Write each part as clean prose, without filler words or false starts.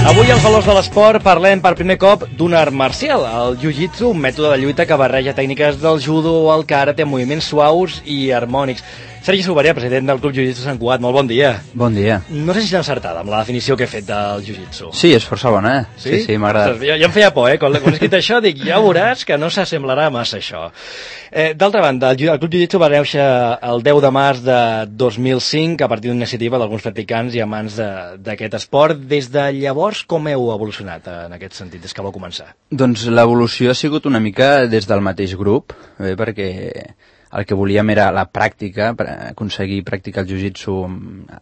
Avui als Valors de l'Esport parlem per primer cop d'un art marcial, el jiu-jitsu, un mètode de lluita que barreja tècniques del judo, el karate, moviments suaus i harmònics. Sergi Sobaria, president del Club Jiu-Jitsu Sant Cugat, molt bon dia. Bon dia. No sé si està encertada amb la definició que he fet del jiu-jitsu. Sí, és força bona, Sí, m'ha agradat. Jo em feia por, quan he escrit això, dic, ja veuràs que no s'assemblarà massa això. D'altra banda, el Club Jiu-Jitsu va néixer el 10 de març de 2005 a partir d'una iniciativa d'alguns practicants i amants d'aquest esport. Des de llavors, com heu evolucionat en aquest sentit, des que vau començar? Doncs l'evolució ha sigut una mica des del mateix grup, perquè el que volíem era la pràctica, aconseguir practicar el jiu-jitsu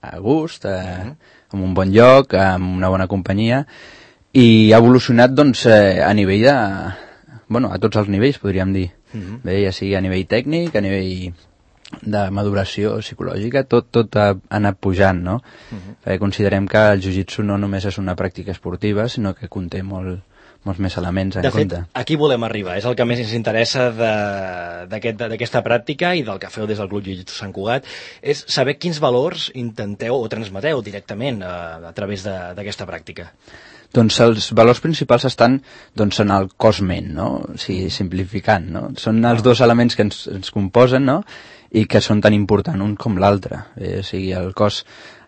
a gust, en un bon lloc, amb una bona companyia, i ha evolucionat doncs, a nivell de... Bueno, a tots els nivells, podríem dir. Bé, ja sigui a nivell tècnic, a nivell de maduració psicològica, tot ha anat pujant, no? Perquè considerem que el jiu-jitsu no només és una pràctica esportiva, sinó que conté molts més elements en compte. De fet, aquí volem arribar, és el que més ens interessa d'aquesta pràctica i del que feu des del Club Jiu-Jitsu Sant Cugat, és saber quins valors intenteu o transmeteu directament a través d'aquesta pràctica. Doncs els valors principals estan en el cos-ment, no? O sigui, simplificant, no? Són els dos elements que ens composen, no? I que són tan importants un com l'altre. O sigui, el cos,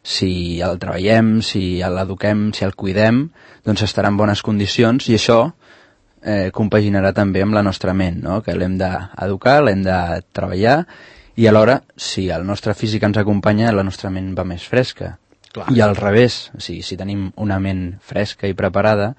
si el treballem, si l'eduquem, si el cuidem, doncs estarà en bones condicions i això compaginarà també amb la nostra ment, no? Que l'hem d'educar, l'hem de treballar i alhora, si el nostre físic ens acompanya, la nostra ment va més fresca. Clar. I al revés, o sigui, si tenim una ment fresca i preparada,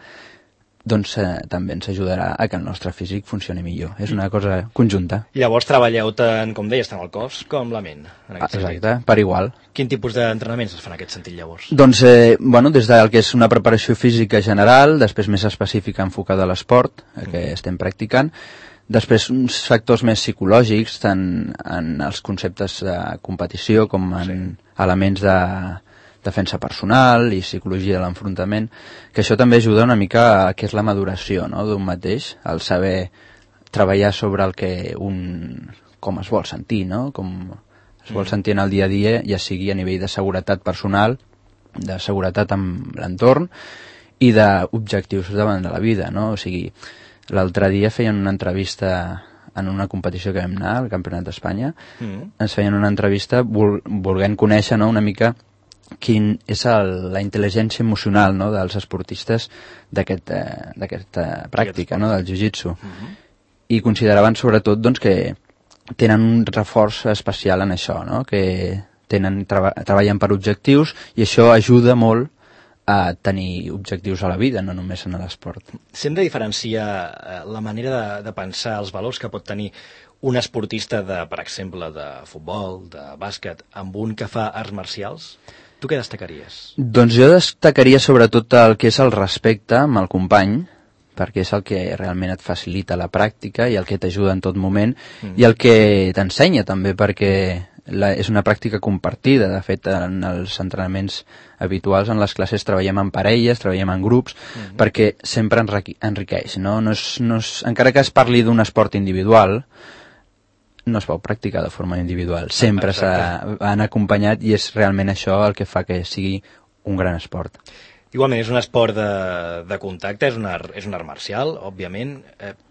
doncs també ens ajudarà a que el nostre físic funcioni millor. És una cosa conjunta. I llavors treballeu tant, com deies, tant el cos com la ment. Exacte, per igual. Quin tipus d'entrenaments es fan en aquest sentit llavors? Doncs, des del que és una preparació física general, després més específica enfocada a l'esport, que estem practicant, després uns factors més psicològics, tant en els conceptes de competició com en elements de defensa personal i psicologia de l'enfrontament, que això també ajuda una mica a què és la maduració, no?, d'un mateix, el saber treballar sobre el que com es vol sentir, no?, com es vol sentir en el dia a dia, ja sigui a nivell de seguretat personal, de seguretat amb l'entorn i d'objectius davant de la vida, no? O sigui, l'altre dia feien una entrevista en una competició que vam anar, al Campionat d'Espanya, ens feien una entrevista volent conèixer, no?, una mica quin és la intel·ligència emocional, no?, dels esportistes d'aquesta pràctica, no?, del jiu-jitsu. I consideraven sobretot doncs, que tenen un reforç especial en això, no?, que treballen per objectius i això ajuda molt a tenir objectius a la vida, no només en l'esport. Si hem de diferenciar la manera de pensar, els valors que pot tenir un esportista, per exemple, de futbol, de bàsquet, amb un que fa arts marcials, tu què destacaries? Doncs jo destacaria sobretot el que és el respecte amb el company, perquè és el que realment et facilita la pràctica i el que t'ajuda en tot moment, i el que t'ensenya també, perquè és una pràctica compartida. De fet, en els entrenaments habituals, en les classes, treballem en parelles, treballem en grups, perquè sempre enriqueix, no? Encara que es parli d'un esport individual, no es pot practicar de forma individual, sempre s'han acompanyat i és realment això el que fa que sigui un gran esport. Igualment, és un esport de contacte, és un art marcial, òbviament.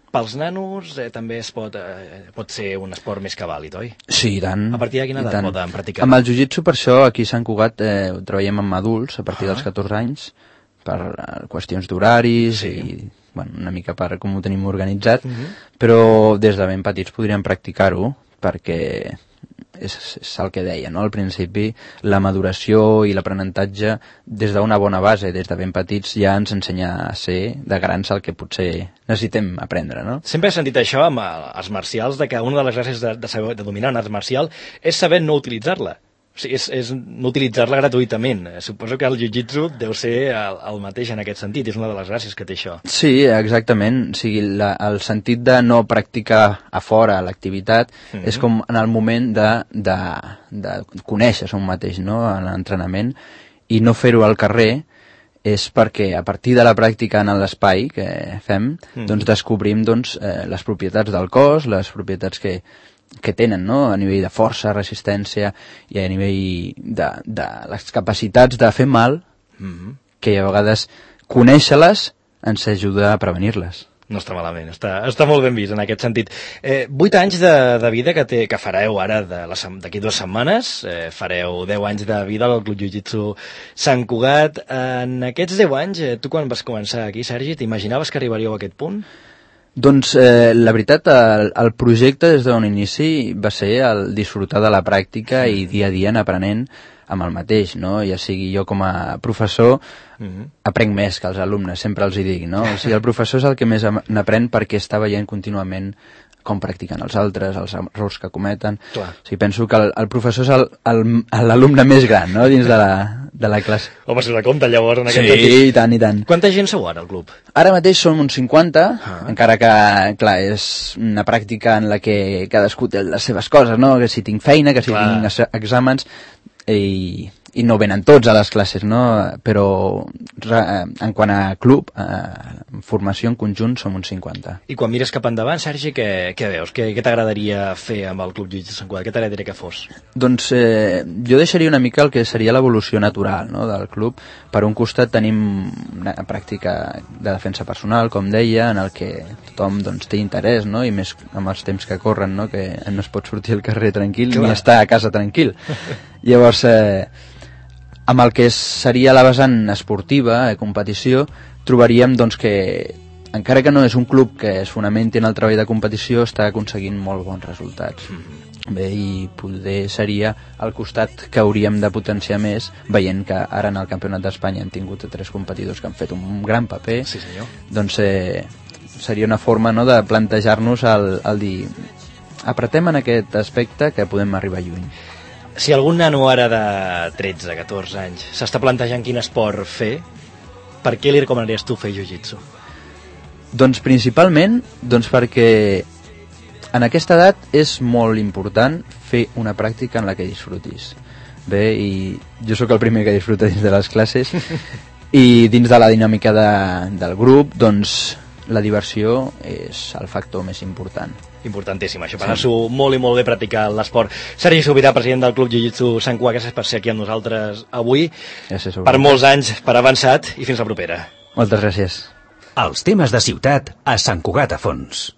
Pels nanos també pot ser un esport més que vàlid, oi? Sí, i tant. A partir de quina edat poden practicar? Amb el jiu-jitsu, per això, aquí a Sant Cugat treballem amb adults a partir dels 14 anys, per qüestions d'horaris i una mica per com ho tenim organitzat, però des de ben petits podríem practicar-ho, perquè és el que deia, no? Al principi la maduració i l'aprenentatge des d'una bona base, des de ben petits, ja ens ensenya a ser de grans el que potser necessitem aprendre, no? Sempre he sentit això amb arts marcials, de que una de les gràcies de dominar un art marcial és saber no utilitzar-la. O sigui, és no utilitzar-la gratuïtament. Suposo que el jiu-jitsu deu ser el mateix en aquest sentit, és una de les gràcies que té això. Sí, exactament. O sigui, el sentit de no practicar a fora l'activitat és com en el moment de conèixer-se un mateix, no?, en l'entrenament, i no fer-ho al carrer és perquè a partir de la pràctica en l'espai que fem, doncs descobrim les propietats del cos, les propietats que tenen, no?, a nivell de força, resistència i a nivell de les capacitats de fer mal, que a vegades conèixer-les ens ajuda a prevenir-les. No està malament, està molt ben vist en aquest sentit. 8 anys de vida que fareu ara d'aquí 2 setmanes, fareu 10 anys de vida al Club Jiu-Jitsu Sant Cugat. En aquests 10 anys, tu quan vas començar aquí, Sergi, t'imaginaves que arribaríeu a aquest punt? Doncs la veritat, el projecte des d'un inici va ser el disfrutar de la pràctica i dia a dia anar aprenent amb el mateix, no? Ja sigui jo com a professor aprenc més que els alumnes, sempre els hi dic, no? O sigui, el professor és el que més n'aprèn perquè està veient contínuament com practiquen els altres, els errors que cometen. Clar. O sigui, penso que el professor és l'alumne més gran, no?, dins de la classe. Home, si us compte llavors en aquest sentit. Sí, i tant, i tant. Quanta gent sou ara al club? Ara mateix som uns 50, encara que, clar, és una pràctica en la que cadascú té les seves coses, no? Que si tinc feina, que si tinc exàmens, i no venen tots a les classes, no? Però en quant a club, formació en conjunt, som uns 50. I quan mires cap endavant, Sergi, què veus? Què t'agradaria fer amb el Club Jiu-Jitsu Sant Cugat? Què t'agradaria que fos? Doncs jo deixaria una mica el que seria l'evolució natural, no?, del club. Per un costat tenim una pràctica de defensa personal, com deia, en el que tothom doncs, té interès, no?, i més amb els temps que corren, no?, que no es pot sortir al carrer tranquil ni estar a casa tranquil. Llavors, amb el que seria la vessant esportiva, competició, trobaríem doncs, que, encara que no és un club que es fonamenti en el treball de competició, està aconseguint molt bons resultats. Bé, i poder seria el costat que hauríem de potenciar més, veient que ara en el Campionat d'Espanya han tingut 3 competidors que han fet un gran paper. Sí, senyor. Doncs seria una forma, no?, de plantejar-nos el dir apretem en aquest aspecte que podem arribar lluny. Si algun nano ara de 13, 14 anys s'està plantejant quin esport fer, per què li recomanaries tu fer jiu-jitsu? Doncs principalment perquè en aquesta edat és molt important fer una pràctica en la que disfrutis. Bé, i jo sóc el primer que disfruta dins de les classes i dins de la dinàmica del grup, doncs la diversió és el factor més important. Importantíssim, això, per anar-s'ho molt i molt bé practicar l'esport. Sergi Sobirà, president del Club Jiu-Jitsu Sant Cugat, gràcies per ser aquí amb nosaltres avui. Gràcies. Per molts anys, per avançat, i fins la propera. Moltes gràcies. Els temes de ciutat a Sant Cugat a fons.